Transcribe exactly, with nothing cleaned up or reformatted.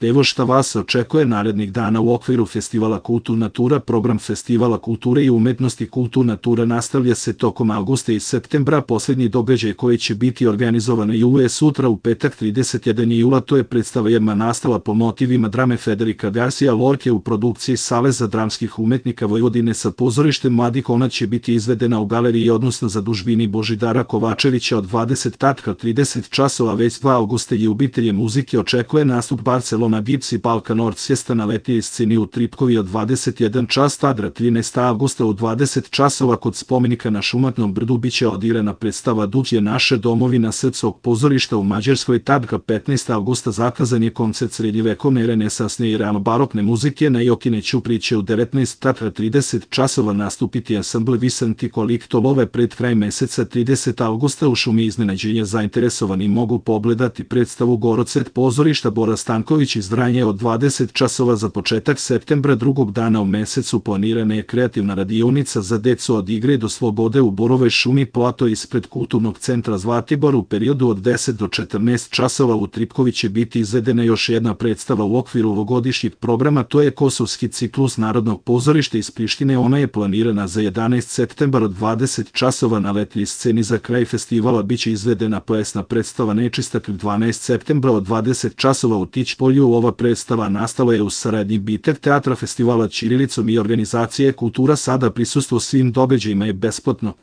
Evo šta vas očekuje narednih dana u okviru Festivala Kulturna tura. Program Festivala kulture i umetnosti Kulturna tura nastavlja se tokom avgusta i septembra. Posljednji događaj koji će biti organizovan jula je sutra u petak trideset prvog jula. To je predstava Jedna nastava po motivima drame Federica Garcia Lorke u produkciji Saveza dramskih umetnika Vojvodine sa pozorištem Mladih. Ona će biti izvedena u galeriji, odnosno zadužbini Božidara Kovačevića od dvadeset do trideset časova. Već dva avgusta ljubitelje muzike očekuje nastup Barcelona Gips i Balkan Orchestra na letnjoj sceni u Tripkovi od dvadeset jedan čas. Tada trinaestog avgusta u dvadeset časova kod spomenika na Šumatnom brdu biće odirana predstava Duh je naše domovina Srpskog pozorišta u Mađarskoj. Tada petnaestog avgusta zakazan je koncert srednjevekovne, renesansne i barokne muzike na Jokine Ćupriće u devetnaest do trideset časova. Nastupiti ansambl Visanti Koliktolove. Pred kraj meseca tridesetog avgusta u Šumi iznenađenja zainteresovani mogu pogledati predstavu Gorocet pozorišta Bora Stanković iz Vranja od dvadeset časova. Za početak septembra, drugog dana u mesecu, planirana je kreativna radionica za decu od igre do slobode u Borovoj šumi plato ispred Kulturnog centra Zlatibor. U periodu od deset do četrnaest časova u Tripkovi će biti izvedena još jedna predstava u okviru ovogodišnjeg programa, to je Kosovski ciklus Narodnog pozorišta iz Prištine. Ona je planirana za jedanaesti septembar od dvadeset časova. Na letnjoj sceni za kraj festivala biće izvedena plesna predstava Nečistak dvanaestog septembra od dvadeset časova u Tićpolju. Ova predstava nastala je u saradnji Bitek teatra, festivala Ćirilicom i organizacije Kultura Sada. Prisustvo svim događajima je besplatno.